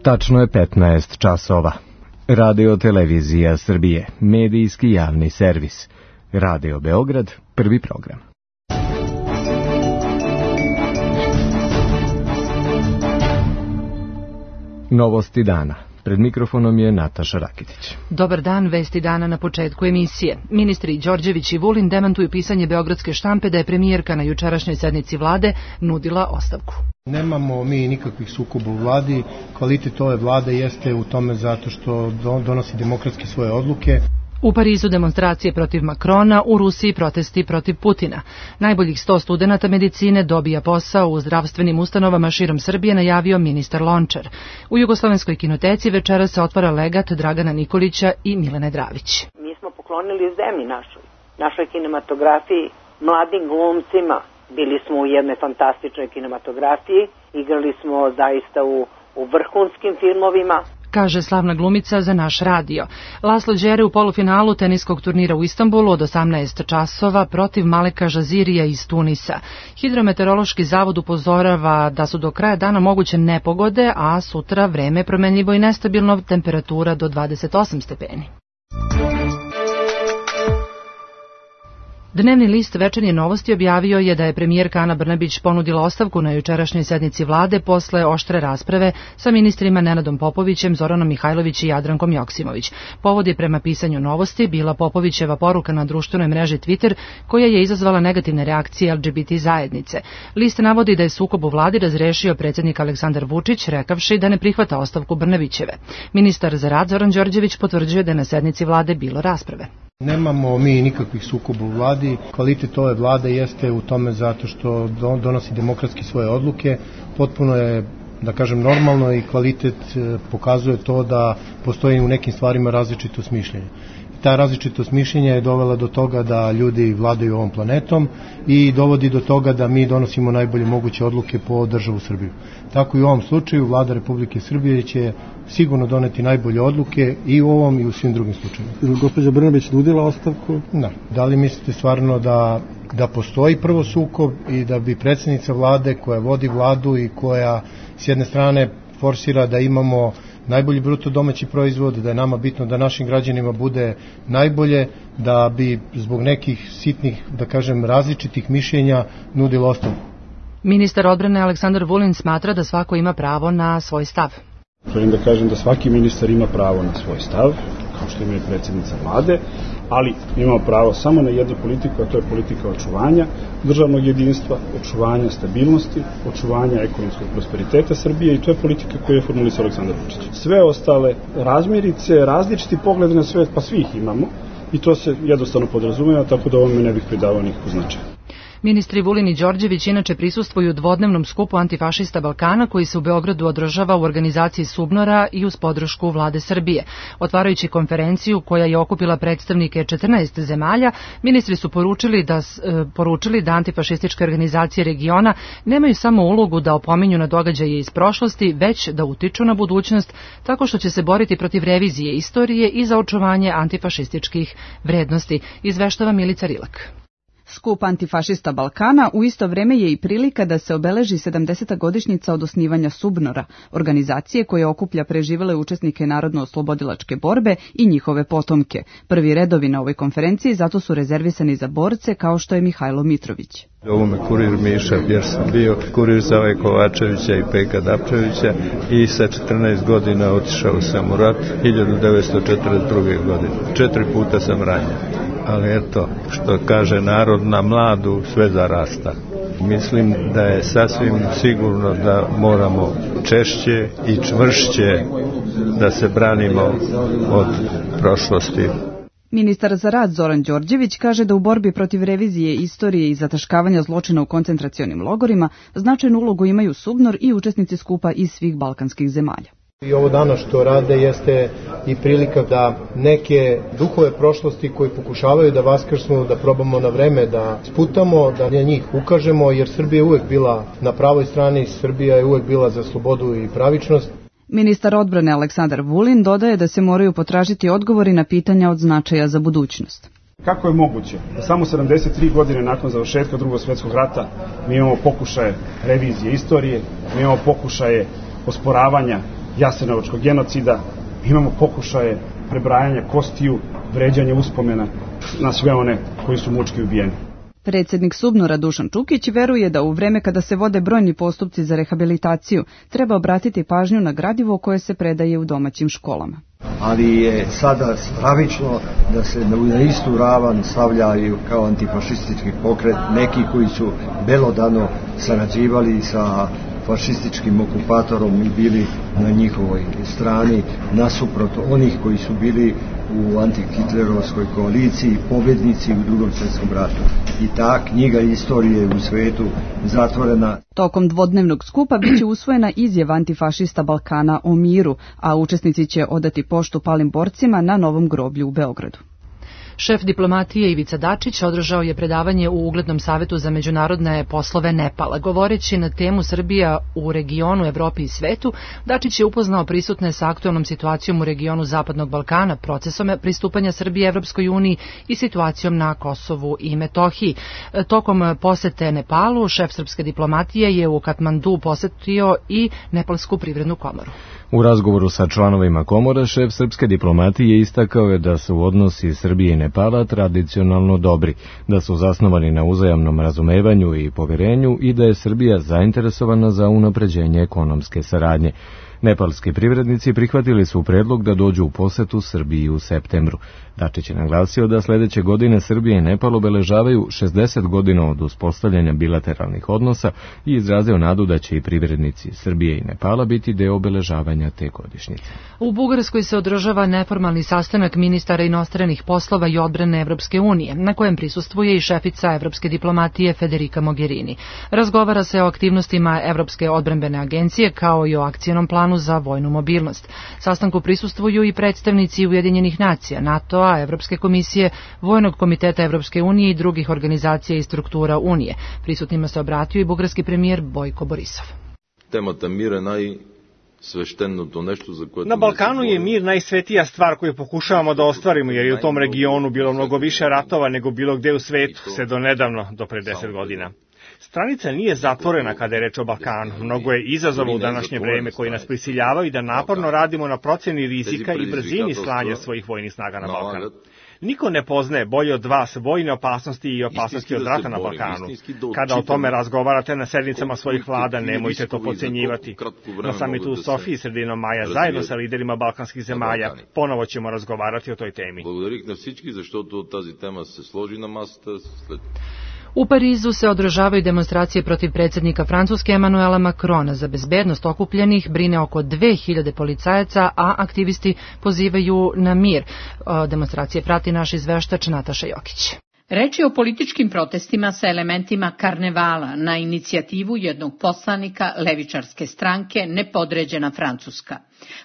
Tačno je 15 časova. Radio Televizija Srbije, medijski javni servis. Radio Beograd, prvi program. Novosti dana. Pred mikrofonom je Nataša Rakitić. Dobar dan, vesti dana na početku emisije. Ministri Đorđević i Vulin demantuju pisanje beogradske štampe da je premijerka na jučerašnjoj sednici vlade nudila ostavku. Nemamo mi nikakvih sukoba u vladi. Kvalitet ove vlade jeste u tome zato što donosi demokratski svoje odluke. U Parizu demonstracije protiv Makrona, u Rusiji protesti protiv Putina. Najboljih 100 studenata medicine dobija posao u zdravstvenim ustanovama širom Srbije, najavio ministar Lončar. U Jugoslovenskoj kinoteci večera se otvara legat Dragana Nikolića i Milene Dravić. Mi smo poklonili zemlji našoj kinematografiji, mladim glumcima. Bili smo u jednoj fantastičnoj kinematografiji, igrali smo zaista u vrhunskim filmovima, kaže slavna glumica za naš radio. Laslo Đere u polufinalu teniskog turnira u Istanbulu od 18 časova protiv Maleka Žazirija iz Tunisa. Hidrometeorološki zavod upozorava da su do kraja dana moguće nepogode, a sutra vreme promenljivo i nestabilno, temperatura do 28 stepeni. Dnevni list Večernje novosti objavio je da je premijerka Ana Brnabić ponudila ostavku na jučerašnjoj sednici vlade posle oštre rasprave sa ministrima Nenadom Popovićem, Zoranom Mihajlović i Jadrankom Joksimović. Povod je prema pisanju novosti bila Popovićeva poruka na društvenoj mreži Twitter koja je izazvala negativne reakcije LGBT zajednice. List navodi da je sukob u vladi razrešio predsjednik Aleksandar Vučić, rekavši da ne prihvata ostavku Brnabićeve. Ministar za rad Zoran Đorđević potvrđuje da je na sednici vlade bilo rasprave. Nemamo mi nikakvih sukoba u vladi. Kvalitet ove vlade jeste u tome zato što donosi demokratski svoje odluke. Potpuno je, da kažem, normalno i kvalitet pokazuje to da postoji u nekim stvarima različitost mišljenja. Ta različitost mišljenja je dovela do toga da ljudi vladaju ovom planetom i dovodi do toga da mi donosimo najbolje moguće odluke po državu Srbiju. Tako i u ovom slučaju vlada Republike Srbije će sigurno doneti najbolje odluke i u ovom i u svim drugim slučajima. Je li gospođa Brnabić nudila ostavku? Da li mislite stvarno da postoji prvo sukob i da bi predsjednica vlade koja vodi vladu i koja s jedne strane forsira da imamo najbolji bruto domaći proizvod, da je nama bitno da našim građanima bude najbolje, da bi zbog nekih sitnih, da kažem, različitih mišljenja nudila ostavku? Ministar odbrane Aleksandar Vulin smatra da svako ima pravo na svoj stav. Želim da kažem da svaki ministar ima pravo na svoj stav, kao što ima i predsjednica vlade, ali ima pravo samo na jednu politiku, a to je politika očuvanja državnog jedinstva, očuvanja stabilnosti, očuvanja ekonomskog prosperiteta Srbije i to je politika koju je formulisao Aleksandar Vučić. Sve ostale razmirice, različiti poglede na svet, pa svi ih imamo i to se jednostavno podrazumeva, tako da ovome ne bih pridavao nikakvu značaj. Ministri Vulin i Đorđević inače prisustvuju dvodnevnom skupu antifašista Balkana koji se u Beogradu održava u organizaciji Subnora i uz podršku vlade Srbije. Otvarajući konferenciju koja je okupila predstavnike 14 zemalja, ministri su poručili da antifašističke organizacije regiona nemaju samo ulogu da opominju na događaje iz prošlosti, već da utiču na budućnost tako što će se boriti protiv revizije istorije i za očuvanje antifašističkih vrednosti, izveštava Milica Rilak. Skup antifašista Balkana u isto vreme je i prilika da se obeleži 70. godišnjica od osnivanja Subnora, organizacije koja okuplja preživele učesnike narodno-oslobodilačke borbe i njihove potomke. Prvi redovi na ovoj konferenciji zato su rezervisani za borce kao što je Mihajlo Mitrović. Ovo me kurir Miša, jer sam bio kurir za ove Kovačevića i Peka Dapčevića i sa 14 godina otišao sam u rat 1942. godine. 4 puta sam ranjen. Ali eto, što kaže narod, na mladu sve zarasta. Mislim da je sasvim sigurno da moramo češće i čvršće da se branimo od prošlosti. Ministar za rad Zoran Đorđević kaže da u borbi protiv revizije istorije i zataškavanja zločina u koncentracionim logorima značajnu ulogu imaju Subnor i učesnici skupa iz svih balkanskih zemalja. I ovo danas što rade jeste i prilika da neke duhove prošlosti koji pokušavaju da vaskrsnu, da probamo na vreme da sputamo, da na njih ukažemo, jer Srbija je uvek bila na pravoj strani, Srbija je uvek bila za slobodu i pravičnost. Ministar odbrane Aleksandar Vulin dodaje da se moraju potražiti odgovori na pitanja od značaja za budućnost. Kako je moguće da samo 73 godine nakon završetka Drugog svjetskog rata mi imamo pokušaje revizije istorije, mi imamo pokušaje osporavanja jasenovačkog genocida, imamo pokušaje prebrajanja kostiju, vređanja uspomena na sve one koji su mučki ubijeni. Predsjednik SUBNOR-a Dušan Čukić veruje da u vreme kada se vode brojni postupci za rehabilitaciju treba obratiti pažnju na gradivo koje se predaje u domaćim školama. Ali je sada stravično da se na istu ravan stavljaju kao antifašistički pokret neki koji su belodano sarađivali sa fašističkim okupatorom i bili na njihovoj strani, nasuprot onih koji su bili u antihitlerovskoj koaliciji, pobjednici u Drugom svjetskom ratu. I ta knjiga istorije u svetu zatvorena. Tokom dvodnevnog skupa biće usvojena izjava antifašista Balkana o miru, a učesnici će odati poštu palim borcima na novom groblju u Beogradu. Šef diplomatije Ivica Dačić održao je predavanje u uglednom savetu za međunarodne poslove Nepala. Govoreći na temu Srbija u regionu, Evropi i svetu, Dačić je upoznao prisutne sa aktualnom situacijom u regionu Zapadnog Balkana, procesom pristupanja Srbije Evropskoj uniji i situacijom na Kosovu i Metohiji. Tokom posete Nepalu, šef srpske diplomatije je u Katmandu posetio i Nepalsku privrednu komoru. U razgovoru sa članovima komora, šef srpske diplomatije istakao je da su odnosi Srbije i Nepala tradicionalno dobri, da su zasnovani na uzajamnom razumevanju i poverenju i da je Srbija zainteresovana za unapređenje ekonomske saradnje. Nepalski privrednici prihvatili su predlog da dođu u posetu Srbiji u septembru. Dačić je naglasio da sledeće godine Srbija i Nepal obeležavaju 60 godina od uspostavljanja bilateralnih odnosa i izrazio nadu da će i privrednici Srbije i Nepala biti deo obeležavanja te godišnjice. U Bugarskoj se održava neformalni sastanak ministara inostranih poslova i odbrane Evropske unije, na kojem prisustvuje i šefica evropske diplomatije Federica Mogherini. Razgovara se o aktivnostima Evropske odbrambene agencije kao i o akcionom planu za vojnu mobilnost. Sastanku prisustvuju i predstavnici Ujedinjenih nacija, NATO-a, Evropske komisije, Vojnog komiteta Evropske unije i drugih organizacija i struktura Unije. Prisutnima se obratio i bugarski premijer Bojko Borisov. Temata mira je najsvešteното nešto za koje... Na Balkanu je mir najsvetija stvar koju pokušavamo da ostvarimo, jer je u tom regionu bilo mnogo više ratova nego bilo gde u svetu, sve do nedavno, do pre 10 godina. Stranica nije zatvorena kada je reč o Balkanu. Mnogo je izazova u današnje vreme koji nas prisiljavaju da naporno radimo na proceni rizika i brzini slanja svojih vojnih snaga na Balkan. Niko ne poznaje bolje od vas vojne opasnosti i opasnosti od rata na Balkanu. Kada o tome razgovarate na sednicama svojih vlada, nemojte to podcenjivati. Na samitu u Sofiji sredinom maja zajedno sa liderima balkanskih zemalja ponovo ćemo razgovarati o toj temi. Благодарих на всички, защото тази тема се сложи на масата след... U Parizu se održavaju demonstracije protiv predsjednika Francuske Emmanuela Macrona. Za bezbednost okupljenih brine oko 2000 policajaca, a aktivisti pozivaju na mir. Demonstracije prati naš izveštač Nataša Jokić. Reč je o političkim protestima sa elementima karnevala na inicijativu jednog poslanika levičarske stranke Nepodređena Francuska.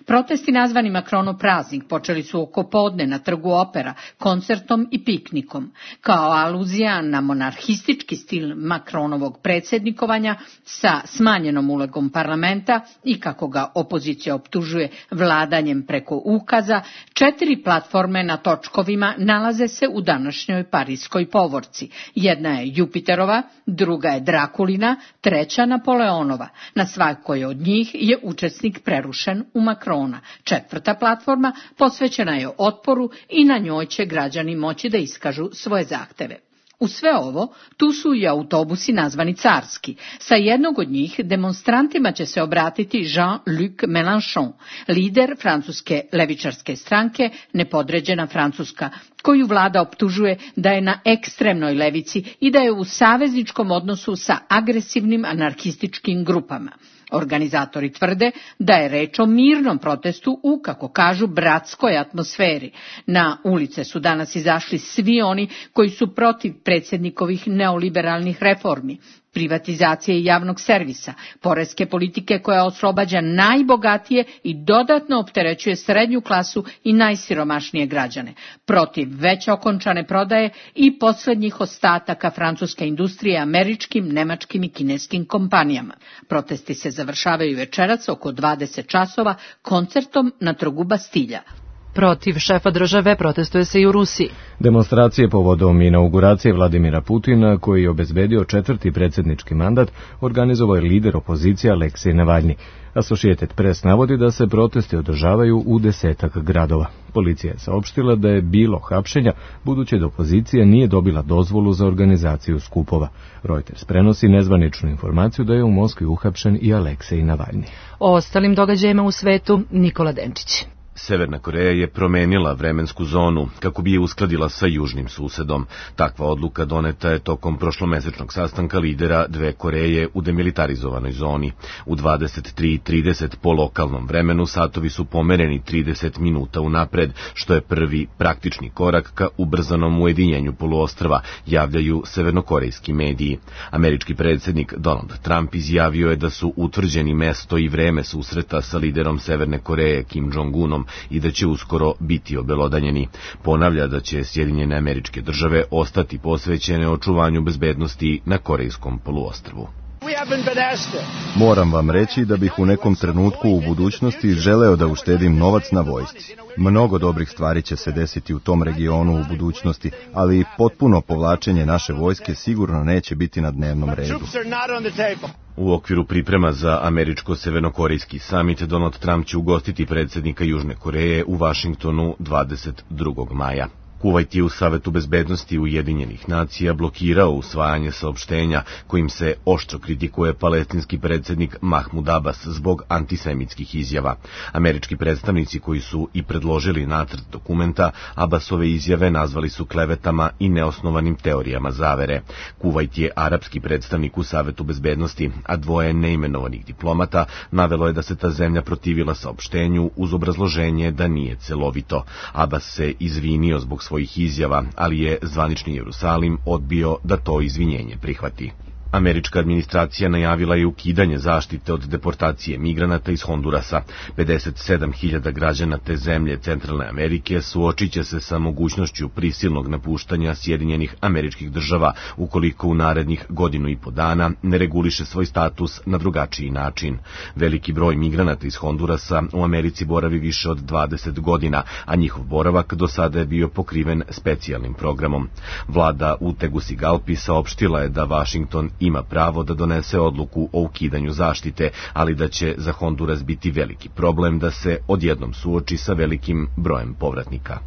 Protesti nazvani Macronov praznik počeli su oko podne na Trgu Opera, koncertom i piknikom. Kao aluzija na monarhistički stil Macronovog predsjednikovanja sa smanjenom ulogom parlamenta i kako ga opozicija optužuje vladanjem preko ukaza, 4 platforme na točkovima nalaze se u današnjoj parijskoj povorci. Jedna je Jupiterova, druga je Drakulina, treća Napoleonova. Na svakoj od njih je učesnik prerušen u Macrona. 4. platforma posvećena je otporu i na njoj će građani moći da iskažu svoje zahteve. U sve ovo, tu su i autobusi nazvani carski. Sa jednog od njih demonstrantima će se obratiti Jean-Luc Mélenchon, lider francuske levičarske stranke Nepodređena Francuska, koju vlada optužuje da je na ekstremnoj levici i da je u savezničkom odnosu sa agresivnim anarhističkim grupama. Organizatori tvrde da je reč o mirnom protestu u, kako kažu, bratskoj atmosferi. Na ulice su danas izašli svi oni koji su protiv predsjednikovih neoliberalnih reformi, privatizacije javnog servisa, poreske politike koja oslobađa najbogatije i dodatno opterećuje srednju klasu i najsiromašnije građane, protiv već okončane prodaje i posljednjih ostataka francuske industrije američkim, nemačkim i kineskim kompanijama. Protesti se završavaju večeras oko 20 časova koncertom na Trgu Bastilja. Protiv šefa države protestuje se i u Rusiji. Demonstracije povodom inauguracije Vladimira Putina, koji je obezbedio 4. predsjednički mandat, organizovao je lider opozicije Aleksej Navalni. Associated Press navodi da se protesti održavaju u 10 gradova. Policija je saopštila da je bilo hapšenja, budući da opozicija nije dobila dozvolu za organizaciju skupova. Reuters prenosi nezvaničnu informaciju da je u Moskvi uhapšen i Aleksej Navalni. O ostalim događajima u svetu Nikola Denčić. Severna Koreja je promenila vremensku zonu kako bi je uskladila sa južnim susedom. Takva odluka doneta je tokom prošlomesečnog sastanka lidera dve Koreje u demilitarizovanoj zoni. U 23:30 po lokalnom vremenu satovi su pomereni 30 minuta unapred, što je prvi praktični korak ka ubrzanom ujedinjenju poluostrva, javljaju severnokorejski mediji. Američki predsjednik Donald Trump izjavio je da su utvrđeni mesto i vreme susreta sa liderom Severne Koreje Kim Jong-unom i da će uskoro biti obelodanjeni. Ponavlja da će Sjedinjene Američke Države ostati posvećene očuvanju bezbednosti na Korejskom poluostrvu. Moram vam reći da bih u nekom trenutku u budućnosti želeo da uštedim novac na vojsci. Mnogo dobrih stvari će se desiti u tom regionu u budućnosti, ali potpuno povlačenje naše vojske sigurno neće biti na dnevnom redu. U okviru priprema za američko-severnokorejski samit, Donald Trump će ugostiti predsjednika Južne Koreje u Vašingtonu 22. maja. Kuvajt je u Savetu bezbednosti Ujedinjenih nacija blokirao usvajanje saopštenja kojim se oštro kritikuje palestinski predsjednik Mahmud Abbas zbog antisemitskih izjava. Američki predstavnici koji su i predložili nacrt dokumenta Abbasove izjave nazvali su klevetama i neosnovanim teorijama zavere. Kuvajt je arapski predstavnik u Savetu bezbednosti, a dvoje neimenovanih diplomata navelo je da se ta zemlja protivila saopštenju uz obrazloženje da nije celovito. Abbas se izvinio zbog svojih izjava, ali je zvanični Jerusalim odbio da to izvinjenje prihvati. Američka administracija najavila je ukidanje zaštite od deportacije migranata iz Hondurasa. 57.000 građana te zemlje Centralne Amerike suočit će se sa mogućnošću prisilnog napuštanja Sjedinjenih Američkih Država ukoliko u narednih 1,5 dana ne reguliše svoj status na drugačiji način. Veliki broj migranata iz Hondurasa u Americi boravi više od 20 godina, a njihov boravak do sada je bio pokriven specijalnim programom. Vlada u Tegucigalpi saopštila je da Washington ima pravo da donese odluku o ukidanju zaštite, ali da će za Honduras biti veliki problem da se odjednom suoči sa velikim brojem povratnika.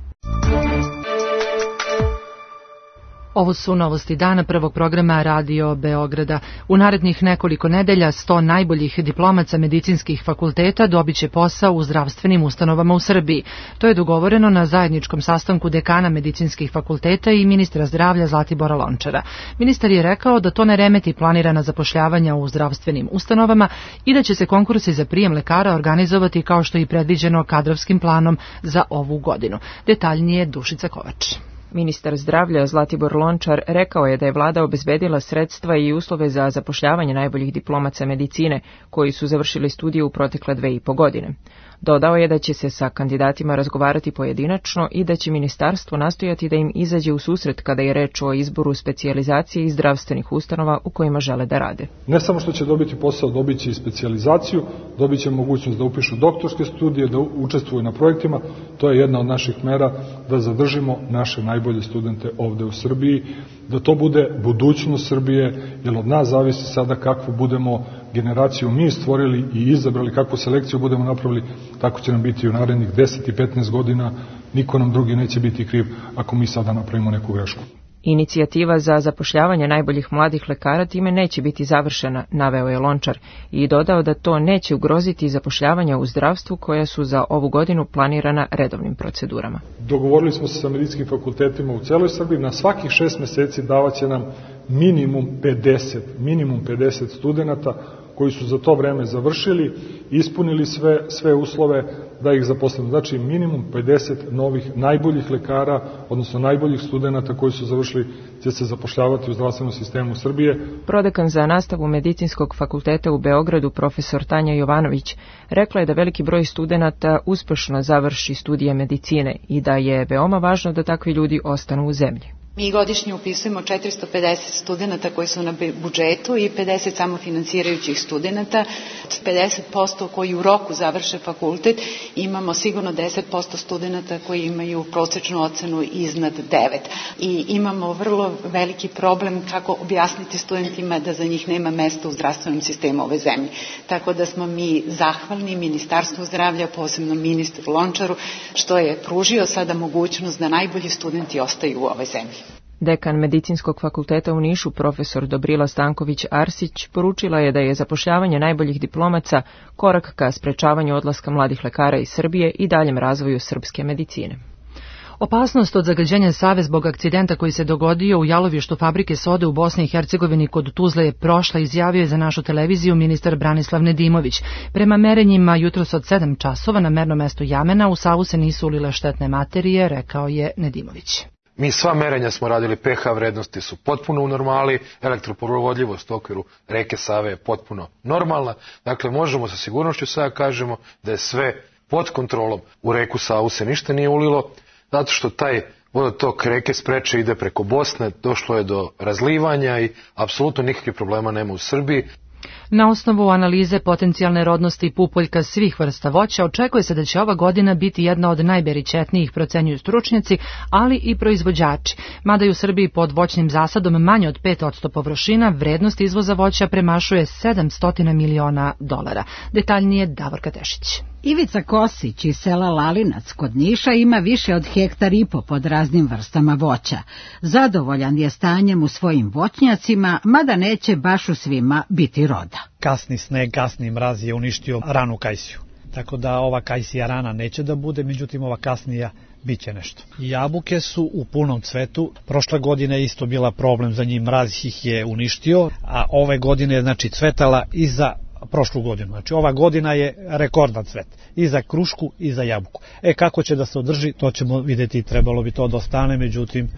Ovo su novosti dana prvog programa Radio Beograda. U narednih nekoliko nedelja 100 najboljih diplomaca medicinskih fakulteta dobit će posao u zdravstvenim ustanovama u Srbiji. To je dogovoreno na zajedničkom sastanku dekana medicinskih fakulteta i ministra zdravlja Zlatibora Lončara. Ministar je rekao da to ne remeti planirana zapošljavanja u zdravstvenim ustanovama i da će se konkursi za prijem lekara organizovati kao što je i predviđeno kadrovskim planom za ovu godinu. Detaljnije Dušica Kovač. Ministar zdravlja Zlatibor Lončar rekao je da je vlada obezbedila sredstva i uslove za zapošljavanje najboljih diplomaca medicine koji su završili studije u protekle 2,5 godine. Dodao je da će se sa kandidatima razgovarati pojedinačno i da će ministarstvo nastojati da im izađe u susret kada je reč o izboru specijalizacije i zdravstvenih ustanova u kojima žele da rade. Ne samo što će dobiti posao, dobit će i specijalizaciju, dobit će mogućnost da upišu doktorske studije, da učestvuju na projektima. To je jedna od naših mera da zadržimo naše najbolje studente ovde u Srbiji, da to bude budućnost Srbije, jer od nas zavisi sada kakvu budemo generaciju mi stvorili i izabrali, kakvu selekciju budemo napravili, tako će nam biti u narednih 10 i 15 godina, niko nam drugi neće biti kriv ako mi sada napravimo neku grešku. Inicijativa za zapošljavanje najboljih mladih lekara time neće biti završena, naveo je Lončar i dodao da to neće ugroziti zapošljavanja u zdravstvu koja su za ovu godinu planirana redovnim procedurama. Dogovorili smo se sa medicinskim fakultetima u celoj Srbiji, na svakih 6 meseci davaće nam minimum 50 studenta koji su za to vreme završili, ispunili sve uslove da ih zaposlimo. Znači minimum 50 novih najboljih lekara, odnosno najboljih studenta koji su završili, će se zapošljavati u zdravstvenom sistemu Srbije. Prodekan za nastavu Medicinskog fakulteta u Beogradu, profesor Tanja Jovanović, rekla je da veliki broj studenata uspešno završi studije medicine i da je veoma važno da takvi ljudi ostanu u zemlji. Mi godišnje upisujemo 450 studenta koji su na budžetu i 50 samofinansirajućih studenta. Od 50% koji u roku završe fakultet imamo sigurno 10% studenta koji imaju prosečnu ocenu iznad 9. I imamo vrlo veliki problem kako objasniti studentima da za njih nema mesta u zdravstvenom sistemu ove zemlje. Tako da smo mi zahvalni Ministarstvu zdravlja, posebno ministru Lončaru, što je pružio sada mogućnost da najbolji studenti ostaju u ovoj zemlji. Dekan Medicinskog fakulteta u Nišu, profesor Dobrila Stanković-Arsić, poručila je da je zapošljavanje najboljih diplomaca korak ka sprečavanju odlaska mladih lekara iz Srbije i daljem razvoju srpske medicine. Opasnost od zagađenja Save zbog akcidenta koji se dogodio u jalovištu fabrike sode u Bosni i Hercegovini kod Tuzle je prošla, izjavio je za našu televiziju ministar Branislav Nedimović. Prema merenjima jutros od 7 časova na mernom mestu Jamena u Savu se nisu ulile štetne materije, rekao je Nedimović. Mi sva merenja smo radili, pH vrednosti su potpuno u normali, elektroprovodljivost u okviru reke Save je potpuno normalna, dakle možemo sa sigurnošću sada kažemo da je sve pod kontrolom. U reku Savu se ništa nije ulilo, zato što taj vodotok reke Spreče ide preko Bosne, došlo je do razlivanja i apsolutno nikakvih problema nema u Srbiji. Na osnovu analize potencijalne rodnosti pupoljka svih vrsta voća očekuje se da će ova godina biti jedna od najberičetnijih, procenjuju stručnjaci, ali i proizvođači. Mada je u Srbiji pod voćnim zasadom manje od 5% površina, vrednost izvoza voća premašuje $700 miliona. Detaljnije Davorka Tešić. Ivica Kosić iz sela Lalinac kod Niša ima više od 1,5 hektara pod raznim vrstama voća. Zadovoljan je stanjem u svojim voćnjacima, mada neće baš u svima biti roda. Kasni sneg, kasni mraz je uništio ranu kajsiju. Tako da ova kajsija rana neće da bude, međutim ova kasnija biće nešto. Jabuke su u punom cvetu. Prošle godine je isto bila problem za njih, mraz ih je uništio, a ove godine je znači cvetala i za prošlu godinu. Znači ova godina je rekordan cvet i za krušku i za jabuku. Kako će da se održi, to ćemo vidjeti, trebalo bi to da ostane, međutim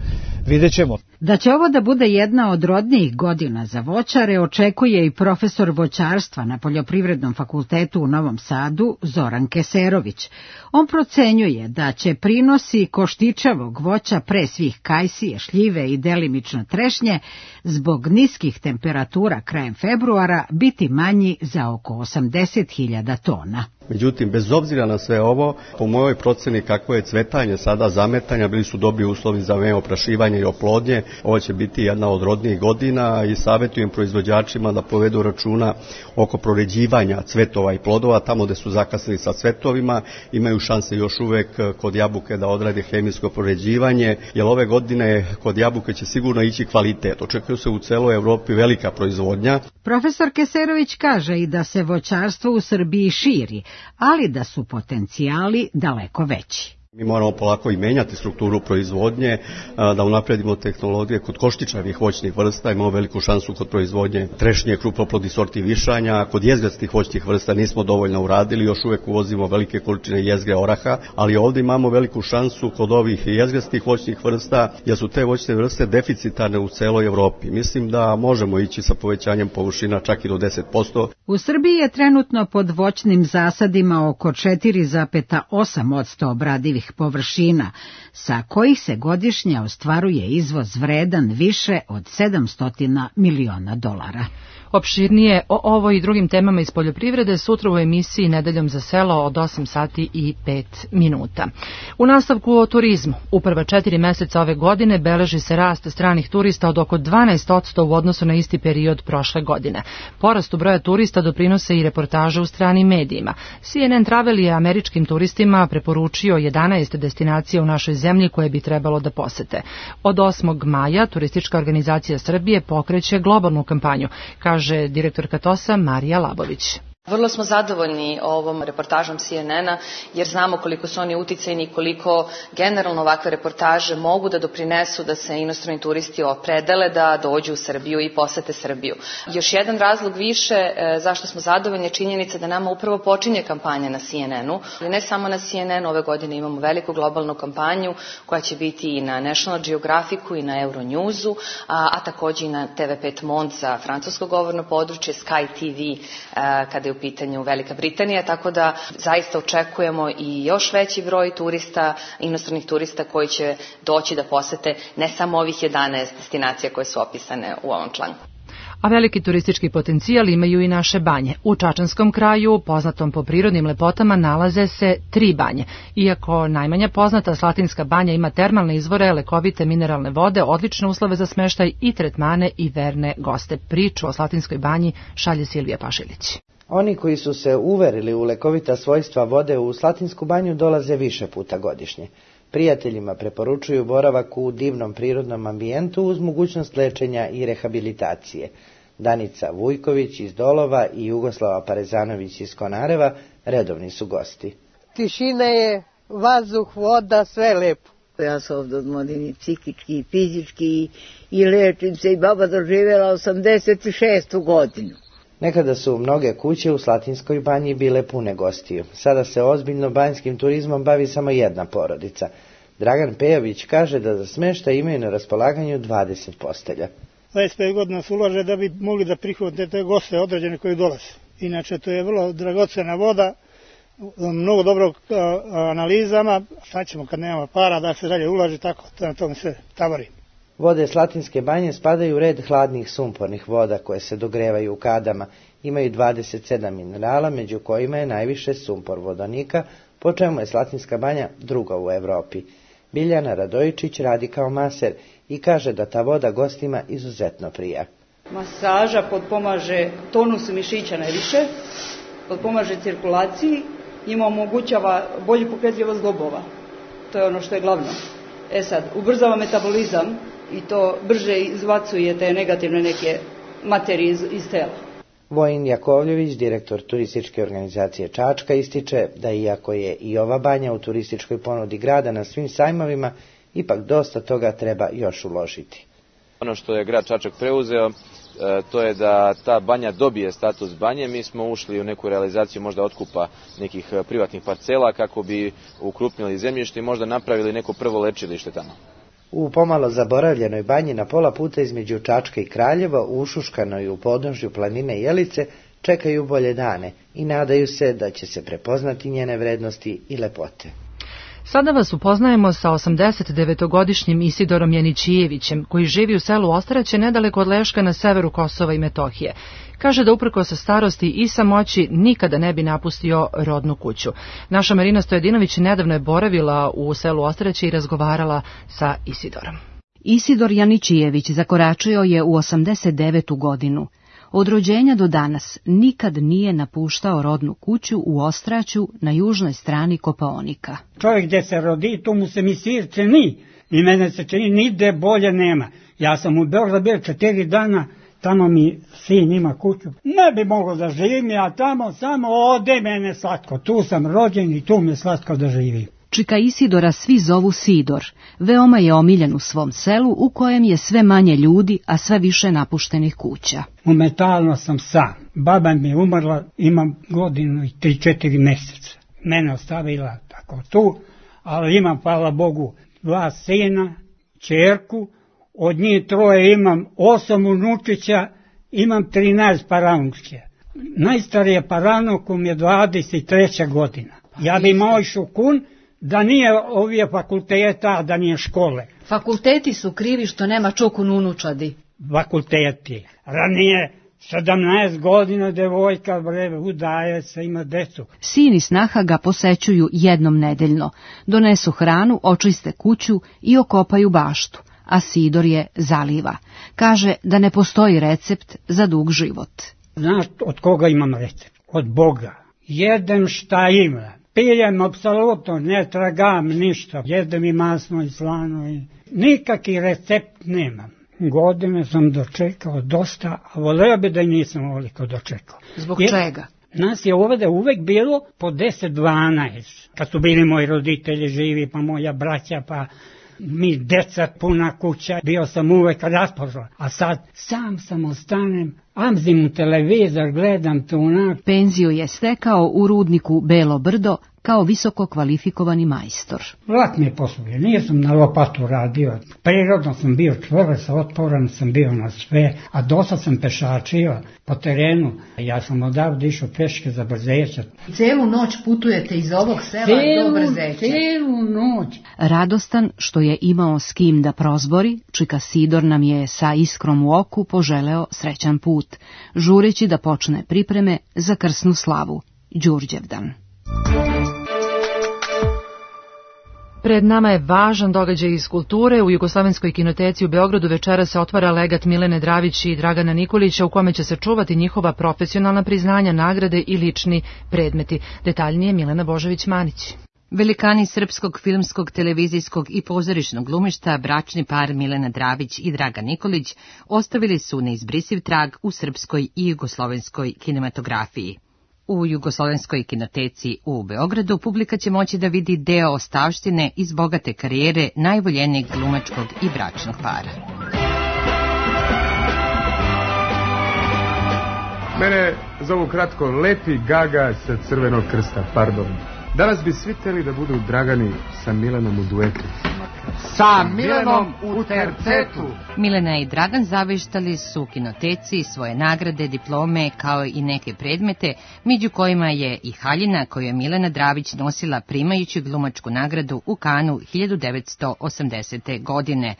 vidjet ćemo. Da će ovo da bude jedna od rodnijih godina za voćare, očekuje i profesor voćarstva na Poljoprivrednom fakultetu u Novom Sadu, Zoran Keserović. On procenjuje da će prinosi koštičavog voća, pre svih kajsije, šljive i delimično trešnje, zbog niskih temperatura krajem februara biti manji za oko 80.000 tona. Međutim, bez obzira na sve ovo, po mojoj proceni kako je cvetanje sada, zametanja, bili su dobri uslovi za vreme oprašivanja i oplodnje. Ovo će biti jedna od rodnijih godina i savjetujem proizvođačima da povedu računa oko proređivanja cvetova i plodova. Tamo gde su zakasnili sa cvetovima, imaju šanse još uvek kod jabuke da odrade hemijsko proređivanje, jer ove godine kod jabuke će sigurno ići kvalitet. Očekuje se u celoj Evropi velika proizvodnja. Profesor Keserović kaže i da se voćarstvo u Srbiji širi, ali da su potencijali daleko veći. Mi moramo polako i menjati strukturu proizvodnje, da unapredimo tehnologije kod koštičavih voćnih vrsta, imamo veliku šansu kod proizvodnje trešnje, krupnoplodnih sorti višanja, kod jezgrastih voćnih vrsta nismo dovoljno uradili, još uvek uvozimo velike količine jezgre oraha, ali ovdje imamo veliku šansu kod ovih jezgrastih voćnih vrsta, jer su te voćne vrste deficitarne u celoj Evropi. Mislim da možemo ići sa povećanjem površina čak i do 10%. U Srbiji je trenutno pod voćnim zasadima oko 4,8% obradivih površina, sa kojih se godišnje ostvaruje izvoz vredan više od $700 miliona. Opširnije o ovoj i drugim temama iz poljoprivrede sutra u emisiji Nedeljom za selo od 8:05. U nastavku o turizmu. U prva 4 meseca ove godine beleži se rast stranih turista od oko 12% u odnosu na isti period prošle godine. Porastu broja turista doprinose i reportaže u stranim medijima. CNN Travel je američkim turistima preporučio 11 destinacija u našoj zemlji koje bi trebalo da posete. Od 8. maja Turistička organizacija Srbije pokreće globalnu kampanju, kaže direktorka TOS-a Marija Labović. Vrlo smo zadovoljni ovom reportažom CNN-a jer znamo koliko su oni uticajni i koliko generalno ovakve reportaže mogu da doprinesu da se inostrani turisti opredele da dođu u Srbiju i posete Srbiju. Još jedan razlog više zašto smo zadovoljni je činjenica da nama upravo počinje kampanja na CNN-u. Ali ne samo na CNN-u, ove godine imamo veliku globalnu kampanju koja će biti i na National Geographicu i na Euronewsu, a takođe i na TV5 Monde za francusko govorno područje, Sky TV kada je u pitanju Velika Britanija, tako da zaista očekujemo i još veći broj turista, inostranih turista koji će doći da posete ne samo ovih 11 destinacija koje su opisane u ovom članku. A veliki turistički potencijal imaju i naše banje. U Čačanskom kraju, poznatom po prirodnim lepotama, nalaze se 3 banje. Iako najmanja poznata, Slatinska banja ima termalne izvore, lekovite mineralne vode, odlične uslove za smeštaj i tretmane i verne goste. Priču o Slatinskoj banji šalje Silvija Pašilić. Oni koji su se uverili u lekovita svojstva vode u Slatinsku banju dolaze više puta godišnje. Prijateljima preporučuju boravak u divnom prirodnom ambijentu uz mogućnost lečenja i rehabilitacije. Danica Vujković iz Dolova i Jugoslava Parezanović iz Konareva redovni su gosti. Tišina je, vazduh, voda, sve lepo. Ja se ovdje odmorim i psihički i fizički i lečim se i baba doživjela 86. godinu. Nekada su mnoge kuće u Slatinskoj banji bile pune gostiju. Sada se ozbiljno banjskim turizmom bavi samo jedna porodica. Dragan Pejović kaže da za smeštaj imaju na raspolaganju 20 postelja. 25 godina se ulaže da bi mogli da prihvate te goste određene koji dolaze. Inače, to je vrlo dragocena voda, mnogo dobrog analizama. Sad ćemo kad nema para da se dalje ulaže, tako na tome se tavari. Vode Slatinske banje spadaju u red hladnih sumpornih voda koje se dogrevaju u kadama. Imaju 27 minerala, među kojima je najviše sumpor vodonika, po čemu je Slatinska banja druga u Evropi. Biljana Radojičić radi kao maser i kaže da ta voda gostima izuzetno prija. Masaža potpomaže tonusu mišića najviše, potpomaže cirkulaciji, ima omogućava bolju pokretljivost zglobova. To je ono što je glavno. Sad, ubrzava metabolizam i to brže izbacuje te negativne neke materije iz tela. Vojin Jakovljević, direktor turističke organizacije Čačka, ističe da iako je i ova banja u turističkoj ponudi grada na svim sajmovima, ipak dosta toga treba još uložiti. Ono što je grad Čačak preuzeo, to je da ta banja dobije status banje. Mi smo ušli u neku realizaciju možda otkupa nekih privatnih parcela kako bi ukrupnili zemljište i možda napravili neko prvo lečilište tamo. U pomalo zaboravljenoj banji na pola puta između Čačka i Kraljeva, ušuškanoj u podnožju planine Jelice, čekaju bolje dane i nadaju se da će se prepoznati njene vrednosti i lepote. Sada vas upoznajemo sa 89-godišnjim Isidorom Janićijevićem, koji živi u selu Ostraće nedaleko od Leška na severu Kosova i Metohije. Kaže da uprkos starosti i samoći nikada ne bi napustio rodnu kuću. Naša Marina Stojedinović nedavno je boravila u selu Ostraće i razgovarala sa Isidorom. Isidor Janićijević zakoračio je u 89. godinu. Od rođenja do danas nikad nije napuštao rodnu kuću u Ostraću na južnoj strani Kopaonika. Čovjek gdje se rodi, to mu se mi sirce ni. I mene se čini, nigde bolje nema. Ja sam u Beogradu bio 4 dana, tamo mi sin ima kuću. Ne bi mogao da živim, ja tamo samo ode mene slatko. Tu sam rođen i tu me slatko da živim. Čika Isidora svi zovu Sidor. Veoma je omiljen u svom selu u kojem je sve manje ljudi, a sve više napuštenih kuća. Momentalno sam sam. Baba mi je umrla, imam godinu i 3-4 mjeseca. Mene ostavila tako tu, ali imam, hvala Bogu, 2 sina, ćerku, od njih 3 imam 8 unučića, imam 13 paranučke. Najstarije paranukom je 23. godina. Ja bi imao šukun, da nije ovije fakulteta, da nije škole. Fakulteti su krivi što nema čukun unučadi. Fakulteti. Ranije 17 godina devojka udaje se, ima decu. Sin i snaha ga posećuju jednom nedeljno. Donesu hranu, očiste kuću i okopaju baštu, a Sidor je zaliva. Kaže da ne postoji recept za dug život. Znaš od koga imam recept? Od Boga. Jedem šta ima. Pijem apsolutno, ne tragam ništa. Jedem i masno i slano. Nikakvi recept nemam. Godine sam dočekao dosta, a voleo bi da i nisam ovoliko dočekao. Zbog čega? Nas je ovdje uvek bilo po 10-12. Kad su bili moji roditelji živi, pa moja braća, pa mi deca, puna kuća. Bio sam uvek rasporan. A sad sam ostanem, Amzim televizor, gledam to onak. Penziju je stekao u rudniku Belo Brdo kao visoko kvalifikovani majstor. Vlak mi je poslužio, nisam na lopatu radio. Prirodno sam bio čvrst, otporan sam bio na sve, a dosta sam pešačio po terenu. Ja sam odavde išao peške za Brzeća. Celu noć putujete iz ovog sela do Brzeća? Celu noć. Radostan što je imao s kim da prozbori, čika Sidor nam je sa iskrom u oku poželeo srećan put, žureći da počne pripreme za krsnu slavu, Đurđevdan. Pred nama je važan događaj iz kulture. U Jugoslovenskoj kinoteci u Beogradu večera se otvara legat Milene Dravić i Dragana Nikolića u kome će se čuvati njihova profesionalna priznanja, nagrade i lični predmeti. Detaljnije Milena Božović-Manić. Velikani srpskog filmskog, televizijskog i pozorišnog glumišta, bračni par Milena Dravić i Dragan Nikolić, ostavili su neizbrisiv trag u srpskoj i jugoslovenskoj kinematografiji. U Jugoslovenskoj kinoteci u Beogradu publika će moći da vidi deo ostavštine iz bogate karijere najvoljenijeg glumačkog i bračnog para. Mene zovu kratko Lepi Gaga sa Crvenog krsta, pardon. Danas bi svi hteli da budu Dragani sa Milenom u duetu. Sa Milenom u tercetu. Milena i Dragan zaveštali su kinoteci svoje nagrade, diplome kao i neke predmete, među kojima je i haljina koju je Milena Dravić nosila primajući glumačku nagradu u Kanu 1980. godine.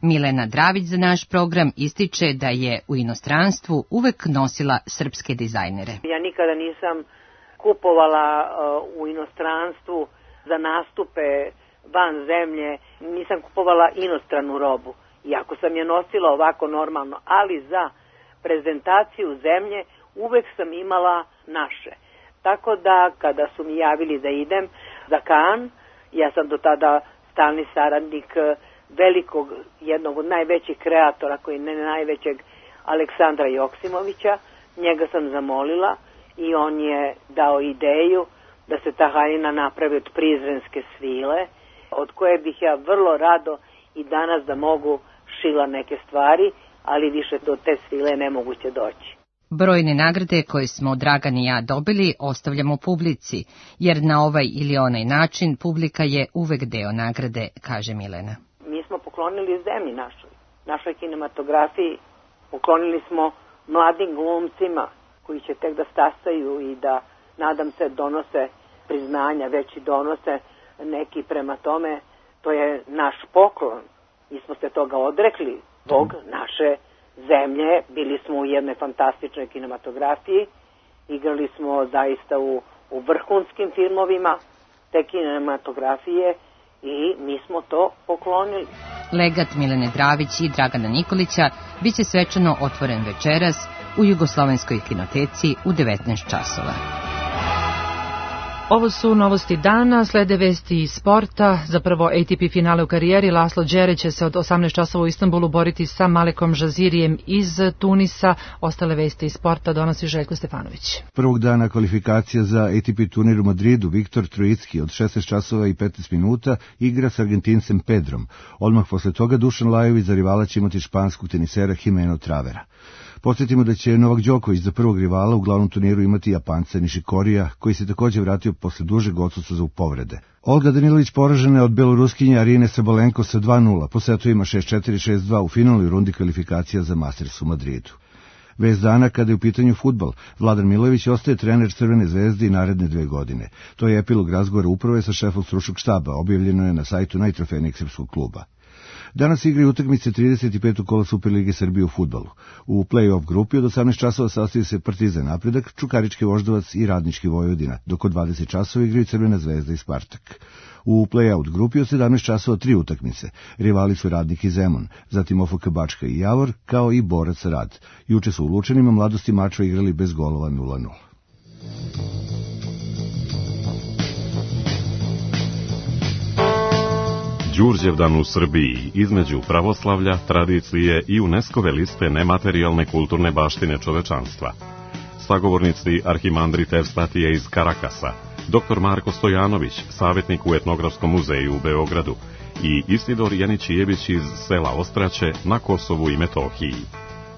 Milena Dravić za naš program ističe da je u inostranstvu uvek nosila srpske dizajnere. Ja nikada nisam kupovala u inostranstvu za nastupe van zemlje, nisam kupovala inostranu robu, iako sam je nosila ovako normalno, ali za prezentaciju zemlje uvek sam imala naše. Tako da kada su mi javili da idem za Kan, ja sam do tada stalni saradnik velikog, jednog od najvećih kreatora, koji ne najvećeg, Aleksandra Joksimovića, njega sam zamolila i on je dao ideju da se ta haljina napravi od prizrenske svile, od koje bih ja vrlo rado i danas da mogu šila neke stvari, ali više do te svile nemoguće doći. Brojne nagrade koje smo Dragan i ja dobili ostavljamo publici, jer na ovaj ili onaj način publika je uvek deo nagrade, kaže Milena. Mi smo poklonili zemlji našoj kinematografiji, poklonili smo mladim glumcima koji će tek da stasaju i da, nadam se, donose priznanja, već i donose neki prema tome. To je naš poklon. Mi smo se toga odrekli zbog naše zemlje. Bili smo u jednoj fantastičnoj kinematografiji, igrali smo zaista u vrhunskim filmovima te kinematografije i mi smo to poklonili. Legat Milene Dravić i Dragana Nikolića biće svečano otvoren večeras u Jugoslovenskoj kinoteci u 19 časova. Ovo su novosti dana, slede vesti iz sporta. Za prvo ATP finale u karijeri Laslo Đere će se od 18 časova u Istanbulu boriti sa Malekom Žazirijem iz Tunisa. Ostale vesti iz sporta donosi Željko Stefanović. Prvog dana kvalifikacija za ATP turnir u Madridu Viktor Trojicki od 16 časova i 15 minuta igra s Argentincem Pedrom. Odmah posle toga Dušan Lajović za rivala će imati španskog tenisera Jimeno Travera. Podsjetimo da će Novak Đoković za prvog rivala u glavnom turniru imati Japanca Nišikorija, koji se također vratio posle dužeg odsustva za povrede. Olga Danilović poražena je od beloruskinje Arine Sabalenko sa 2:0, po setovima 6-4, 6-2 u finalnoj rundi kvalifikacija za Masters u Madridu. Vest dana kada je u pitanju fudbal, Vladan Milojević ostaje trener Crvene zvezde i naredne 2 godine. To je epilog razgovora uprave sa šefom stručnog štaba, objavljeno je na sajtu najtrofejnijeg srpskog kluba. Danas igraju utakmice 35. kola Superlige Srbije u fudbalu. U play-off grupi od 18 časova sastaju se Partizan Napredak, Čukarički Voždovac i Radnički Vojvodina, dok od 20 časova igraju Crvena zvezda i Spartak. U play-out grupi od 17 časova 3 utakmice. Rivali su Radnik i Zemun, zatim OFK Bačka i Javor, kao i Borac Rad. Juče su u Lučanima Mladosti Mačva igrali bez golova 0:0. Đurđevdan u Srbiji između pravoslavlja, tradicije i UNESCO-ve liste nematerijalne kulturne baštine čovečanstva. Sagovornici arhimandrit Evstatije iz Karakasa, dr. Marko Stojanović, savjetnik u Etnografskom muzeju u Beogradu i Isidor Janić-Jebić iz sela Ostraće na Kosovu i Metohiji.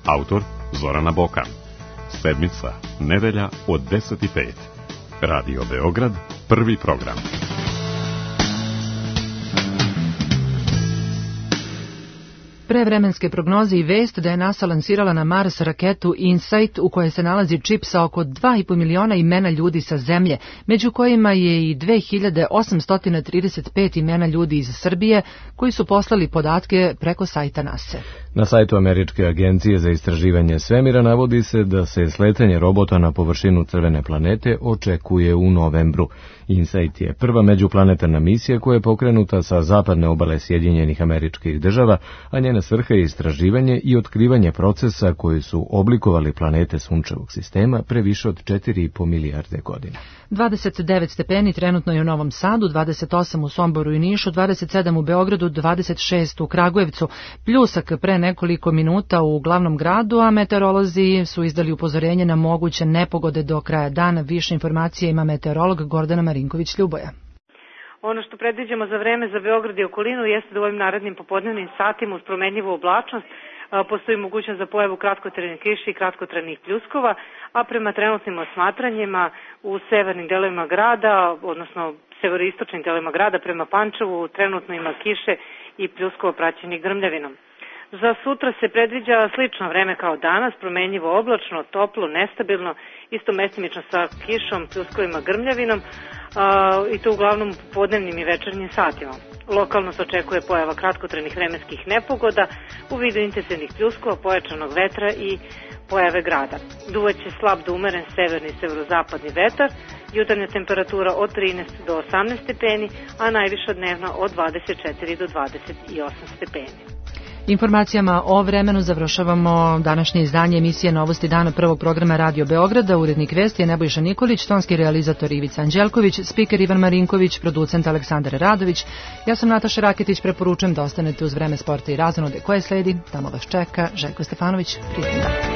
Autor Zorana Bokan. sedmica, nedelja od 10:05. Radio Beograd, prvi program. Prevremenske prognoze i vest da je NASA lansirala na Mars raketu InSight u kojoj se nalazi čip sa oko 2,5 miliona imena ljudi sa Zemlje, među kojima je i 2835 imena ljudi iz Srbije koji su poslali podatke preko sajta NASA. Na sajtu Američke agencije za istraživanje svemira navodi se da se sletanje robota na površinu crvene planete očekuje u novembru. InSight je prva međuplanetarna misija koja je pokrenuta sa zapadne obale Sjedinjenih Američkih Država, a njena svrha je istraživanje i otkrivanje procesa koji su oblikovali planete Sunčevog sistema pre više od 4,5 milijarde godina. 29 stepeni trenutno je u Novom Sadu, 28 u Somboru i Nišu, 27 u Beogradu, 26 u Kragujevcu, pljusak pre nekoliko minuta u glavnom gradu, a meteorolozi su izdali upozorenje na moguće nepogode do kraja dana. Više informacije ima meteorolog Gordana Marinković-Ljuboja. Ono što predviđamo za vreme za Beograd i okolinu jeste da u ovim narednim popodnevnim satima uz promenljivu oblačnost postoji mogućnost za pojavu kratkotrajne kiše i kratkotrajnih pljuskova, a prema trenutnim osmatranjima u severnim delovima grada, odnosno severoistočnim delovima grada prema Pančevu trenutno ima kiše i pljuskova praćenih grmljavinom. Za sutra se predviđa slično vreme kao danas, promenljivo oblačno, toplo, nestabilno, isto mestimično sa kišom, pljuskovima, grmljavinom i to uglavnom u podnevnim i večernjim satima. Lokalno se očekuje pojava kratkotrajnih vremenskih nepogoda u vidu intenzivnih pljuskova, pojačanog vetra i pojave grada. Duvaće slab do umeren severni i severozapadni vetar, jutarnja temperatura od 13 do 18 stepeni, a najviša dnevna od 24 do 28 stepeni. Informacijama o vremenu završavamo današnje izdanje emisije Novosti dana prvog programa Radio Beograda. Urednik vesti je Nebojša Nikolić, tonski realizator Ivica Anđelković, spiker Ivan Marinković, producent Aleksandar Radović. Ja sam Nataša Raketić, preporučujem da ostanete uz vreme sporta i razonode koje sledi. Tamo vas čeka Željko Stefanović. Prijatno.